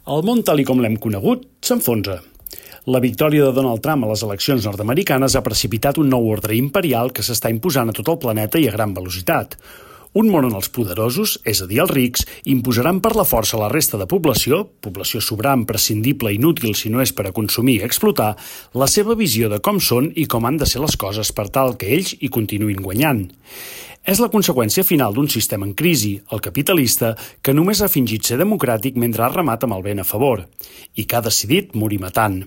El món tal com l'hem conegut s'enfonsa. La victòria de Donald Trump a les eleccions nord-americanes ha precipitat un nou ordre imperial que s'està imposant a tot el planeta i a gran velocitat. Un món on els poderosos, és a dir, els rics, imposaran per la força a la resta de població sobrant, prescindible, inútil si no és per a consumir i explotar, la seva visió de com són i com han de ser les coses per tal que ells hi continuïn guanyant. És la conseqüència final d'un sistema en crisi, el capitalista, que només ha fingit ser democràtic mentre ha remat amb el vent a favor, i que ha decidit morir matant.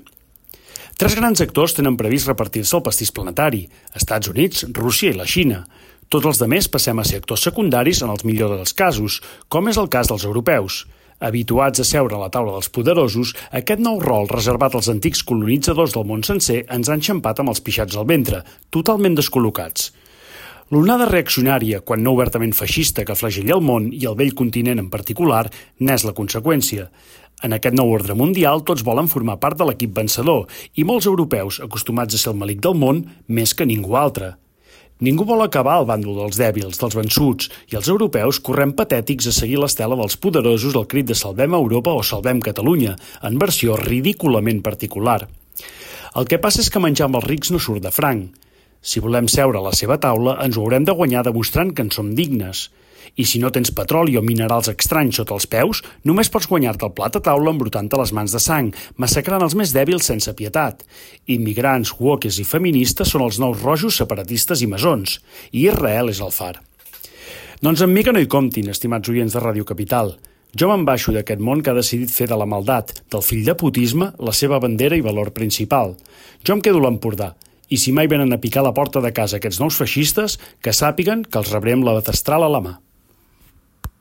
Tres grans actors tenen previst repartir-se el pastís planetari: Estats Units, Rússia i la Xina. Tots els demés passem a ser actors secundaris en els millors dels casos, com és el cas dels europeus. Habituats a seure a la taula dels poderosos, aquest nou rol reservat als antics colonitzadors del món sencer ens ha enxampat amb els pixats al ventre, totalment descol·locats. L'onada reaccionària, quan no obertament feixista, que flagella el món i el vell continent en particular, n'és la conseqüència. En aquest nou ordre mundial, tots volen formar part de l'equip vencedor i molts europeus, acostumats a ser el malic del món, més que ningú altre. Ningú vol acabar al bàndol dels dèbils, dels vençuts, i els europeus correm patètics a seguir l'estela dels poderosos al crit de Salvem Europa o Salvem Catalunya, en versió ridículament particular. El que passa és que menjar amb els rics no surt de franc. Si volem seure a la seva taula, ens ho haurem de guanyar demostrant que en som dignes. I si no tens petroli o minerals estranys sota els peus, només pots guanyar-te el plat a taula embrutant-te les mans de sang, massacrant els més dèbils sense pietat. Immigrants, wokes i feministes són els nous rojos separatistes i masons. I Israel és el far. Doncs amb mi que no hi comptin, estimats oients de Ràdio Capital. Jo me'n baixo d'aquest món que ha decidit fer de la maldat, del fill de putisme, la seva bandera i valor principal. Jo em quedo a l'Empordà. I si mai venen a picar la porta de casa aquests nous feixistes, que sàpiguen que els rebrem la destral a la mà.